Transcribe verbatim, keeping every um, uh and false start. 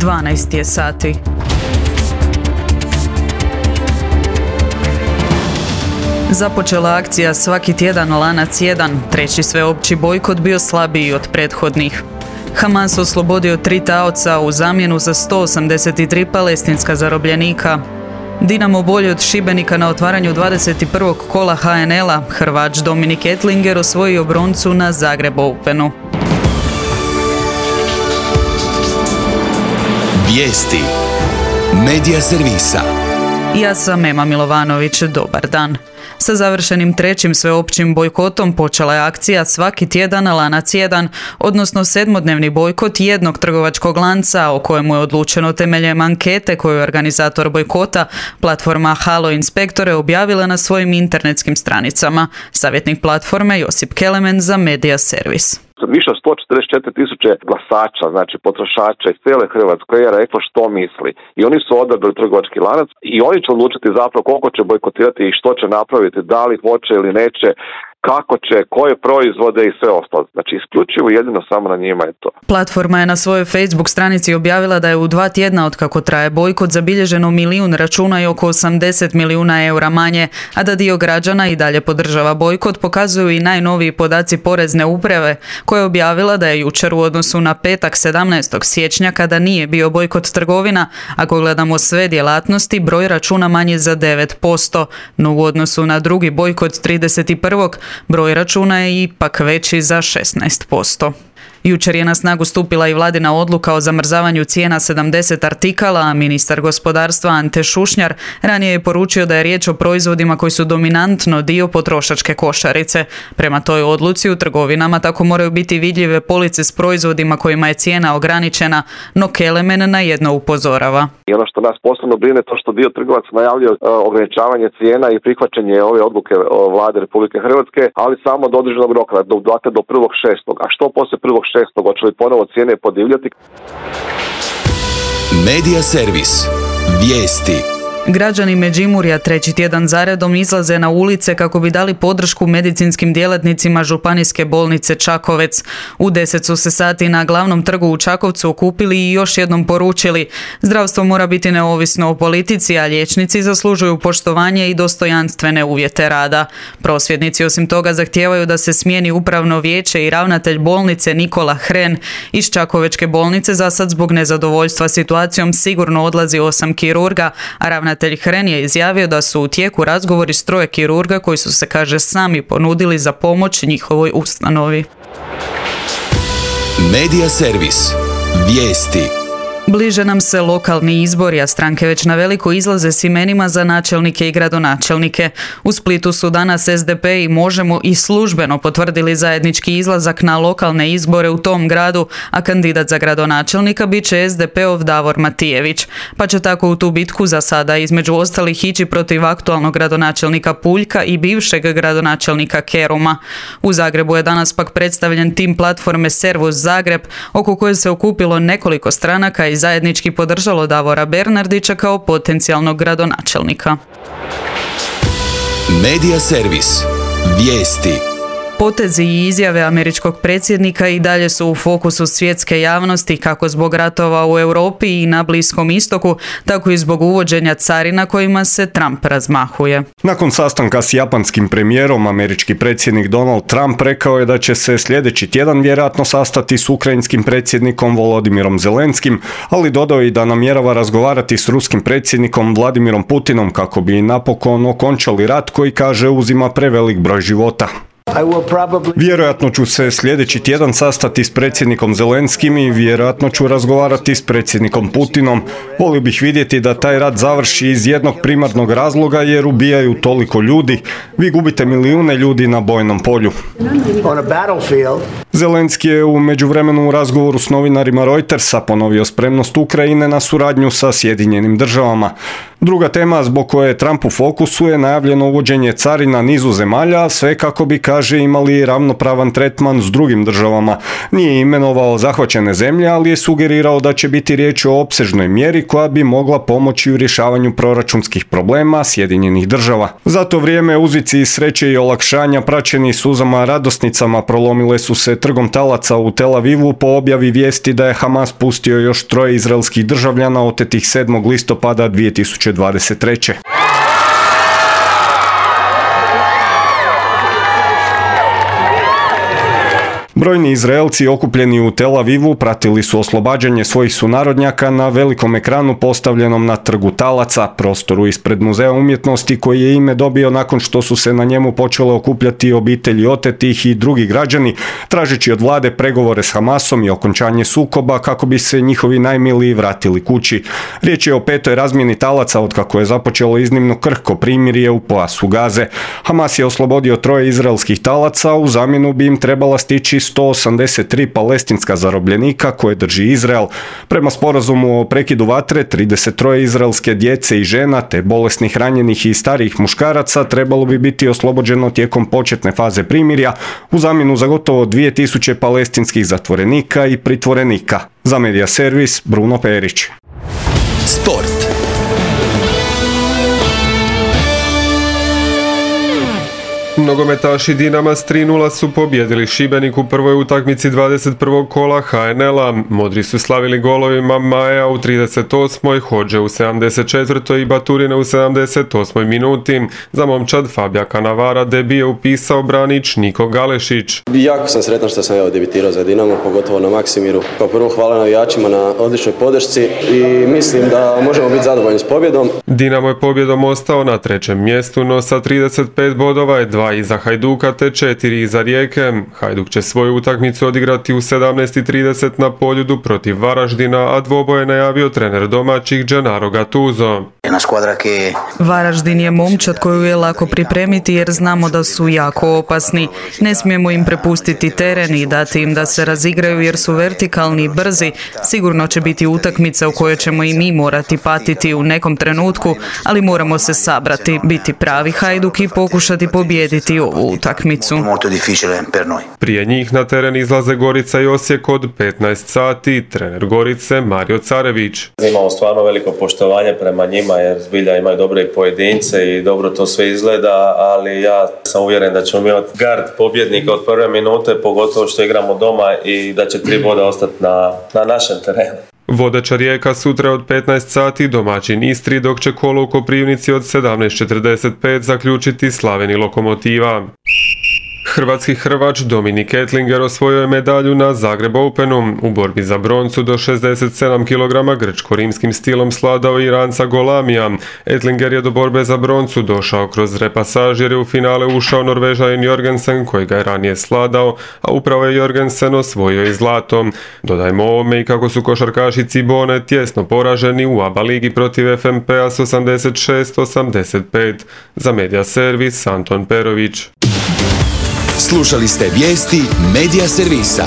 dvanaest je sati. Započela akcija Svaki tjedan lanac jedan, treći sveopći bojkot bio slabiji od prethodnih. Hamas oslobodio tri taoca u zamjenu za sto osamdeset tri palestinska zarobljenika. Dinamo bolje od Šibenika na otvaranju dvadeset prvog kola ha en el-a, Hrvač Dominik Ettlinger osvojio broncu na Zagreb Openu. Vijesti Medija servisa. Ja sam Ema Milovanović, dobar dan. Sa završenim trećim sveopćim bojkotom počela je akcija Svaki tjedan lanac jedan, odnosno sedmodnevni bojkot jednog trgovačkog lanca o kojemu je odlučeno temeljem ankete koju je organizator bojkota, platforma Halo Inspektore, objavila na svojim internetskim stranicama. Savjetnik platforme Josip Kelemen za Medija servis. Više od sto četrdeset četiri tisuće glasača, znači potrošača iz cijele Hrvatske je reklo što misli. I oni su odabrali trgovački lanac i oni će odlučiti zapravo koliko će bojkotirati i što će napraviti, da li hoće ili neće, kako će, koje proizvode i sve ostalo. Znači, isključivo jedino samo na njima je to. Platforma je na svojoj Facebook stranici objavila da je u dva tjedna od kako traje bojkot zabilježeno milijun računa i oko osamdeset milijuna eura manje, a da dio građana i dalje podržava bojkot pokazuju i najnoviji podaci Porezne uprave, koja je objavila da je jučer u odnosu na petak sedamnaestog siječnja, kada nije bio bojkot trgovina, ako gledamo sve djelatnosti, broj računa manji za devet posto, no u odnosu na drugi bojkot trideset prvog broj računa je ipak veći za šesnaest posto. Jučer je na snagu stupila i vladina odluka o zamrzavanju cijena sedamdeset artikala, a ministar gospodarstva Ante Šušnjar ranije je poručio da je riječ o proizvodima koji su dominantno dio potrošačke košarice. Prema toj odluci u trgovinama tako moraju biti vidljive police s proizvodima kojima je cijena ograničena, no Kelemen na jedno upozorava. I ono što nas posebno brine to što dio trgovaca najavljuje ograničavanje cijena i prihvaćanje ove odluke vlade Republike Hrvatske, ali samo do određenog roka, do, do prvog šestog. A što poslije prvog šestog, hoće li ponovo cijene podivljati? Medija servis. Vijesti. Građani Međimurja treći tjedan zaredom izlaze na ulice kako bi dali podršku medicinskim djelatnicima Županijske bolnice Čakovec. U deset su se sati na glavnom trgu u Čakovcu okupili i još jednom poručili: zdravstvo mora biti neovisno o politici, a liječnici zaslužuju poštovanje i dostojanstvene uvjete rada. Prosvjednici osim toga zahtijevaju da se smijeni upravno vijeće i ravnatelj bolnice Nikola Hren. Iz Čakovečke bolnice za sad zbog nezadovoljstva situacijom sigurno odlazi osam kirurga, a ravnatelj Hren je izjavio da su u tijeku razgovori s troje kirurga koji su se, kaže, sami ponudili za pomoć njihovoj ustanovi. Medija servis. Vijesti. Bliže nam se lokalni izbori, a stranke već na veliko izlaze s imenima za načelnike i gradonačelnike. U Splitu su danas es de pe i Možemo i službeno potvrdili zajednički izlazak na lokalne izbore u tom gradu, a kandidat za gradonačelnika bit će es de peov Davor Matijević. Pa će tako u tu bitku za sada između ostalih ići protiv aktualnog gradonačelnika Puljka i bivšeg gradonačelnika Keruma. U Zagrebu je danas pak predstavljen tim platforme Servus Zagreb, oko koje se okupilo nekoliko stranaka i zajednički podržalo Davora Bernardića kao potencijalnog gradonačelnika. Medija servis. Vijesti. Potezi i izjave američkog predsjednika i dalje su u fokusu svjetske javnosti, kako zbog ratova u Europi i na Bliskom istoku, tako i zbog uvođenja carina kojima se Trump razmahuje. Nakon sastanka s japanskim premijerom, američki predsjednik Donald Trump rekao je da će se sljedeći tjedan vjerojatno sastati s ukrajinskim predsjednikom Volodimirom Zelenskim, ali dodao i da namjerava razgovarati s ruskim predsjednikom Vladimirom Putinom kako bi napokon okončali rat koji, kaže, uzima prevelik broj života. Vjerojatno ću se sljedeći tjedan sastati s predsjednikom Zelenskim i vjerojatno ću razgovarati s predsjednikom Putinom. Volio bih vidjeti da taj rat završi iz jednog primarnog razloga jer ubijaju toliko ljudi. Vi gubite milijune ljudi na bojnom polju. Zelenski je u međuvremenu u razgovoru s novinarima Reutersa ponovio spremnost Ukrajine na suradnju sa Sjedinjenim državama. Druga tema zbog koje je Trump u fokusu je najavljeno uvođenje carina nizu zemalja, sve kako bi, kaže, kaže imali ravnopravan tretman s drugim državama. Nije imenovao zahvaćene zemlje, ali je sugerirao da će biti riječ o opsežnoj mjeri koja bi mogla pomoći u rješavanju proračunskih problema Sjedinjenih država. Za to vrijeme uzvici sreće i olakšanja praćeni suzama radosnicama prolomile su se trgom talaca u Tel Avivu po objavi vijesti da je Hamas pustio još troje izraelskih državljana otetih sedmog listopada dvije tisuće dvadeset treće. Brojni Izraelci okupljeni u Tel Avivu pratili su oslobađanje svojih sunarodnjaka na velikom ekranu postavljenom na trgu talaca, prostoru ispred Muzeja umjetnosti koji je ime dobio nakon što su se na njemu počele okupljati obitelji otetih i drugi građani, tražeći od vlade pregovore s Hamasom i okončanje sukoba kako bi se njihovi najmiliji vratili kući. Riječ je o petoj razmjeni talaca otkako je započelo iznimno krhko primirje u pojasu Gaze. Hamas je oslobodio troje izraelskih talaca, u zamjenu bi im trebala stići sto osamdeset tri palestinska zarobljenika koje drži Izrael. Prema sporazumu o prekidu vatre, trideset troje izraelske djece i žena te bolesnih, ranjenih i starijih muškaraca trebalo bi biti oslobođeno tijekom početne faze primirja u zamjenu za gotovo dvije tisuće palestinskih zatvorenika i pritvorenika. Za Medija servis Bruno Perić. Sport. Nogometaši Dinama s tri nula su pobjedili Šibenik u prvoj utakmici dvadeset prvog kola ha en el a. Modri su slavili golovima Maja u trideset osmoj, Hodže u sedamdeset četvrtoj i Baturina u sedamdeset osmoj minuti. Za momčad Fabija Kanavara debi je upisao branič Niko Galešić. Jako sam sretan što sam evo debitirao za Dinamo, pogotovo na Maksimiru. Kao prvo hvala navijačima na odličnoj podršci i mislim da možemo biti zadovoljni s pobjedom. Dinamo je pobjedom ostao na trećem mjestu, no sa trideset pet bodova je dva iza Hajduka te četiri iza Rijeke. Hajduk će svoju utakmicu odigrati u sedamnaest i trideset na Poljudu protiv Varaždina, a dvoboj je najavio trener domaćih Gennaro Gattuso. Varaždin je momčad koju je lako pripremiti jer znamo da su jako opasni. Ne smijemo im prepustiti teren i dati im da se razigraju jer su vertikalni i brzi. Sigurno će biti utakmica u kojoj ćemo i mi morati patiti u nekom trenutku, ali moramo se sabrati, biti pravi Hajduk i pokušati pobijediti ovu utakmicu. Prije njih na teren izlaze Gorica i Osijek od petnaest sati, trener Gorice Mario Carević. Imamo stvarno veliko poštovanje prema njima jer zbilja imaju dobre pojedince i dobro to sve izgleda, ali ja sam uvjeren da ćemo imati gard pobjednika od prve minute, pogotovo što igramo doma i da će tri boda ostati na, na našem terenu. Vodeća Rijeka sutra od petnaest sati, domaćin Istri, dok će kolo u Koprivnici od sedamnaest četrdeset pet zaključiti Slaveni Lokomotiva. Hrvatski hrvač Dominik Ettlinger osvojio je medalju na Zagreb Openu. U borbi za broncu do šezdeset sedam kilograma grčko-rimskim stilom sladao Iranca Golamija. Ettlinger je do borbe za broncu došao kroz repasaž jer je u finale ušao Norvežanin Jorgensen koji ga je ranije sladao, a upravo je Jorgensen osvojio i zlato. Dodajmo ovome i kako su košarkaši Cibone tjesno poraženi u A B A ligi protiv F M P-a s osamdeset šest osamdeset pet. Za Medija servis Anton Perović. Slušali ste vijesti Medija servisa.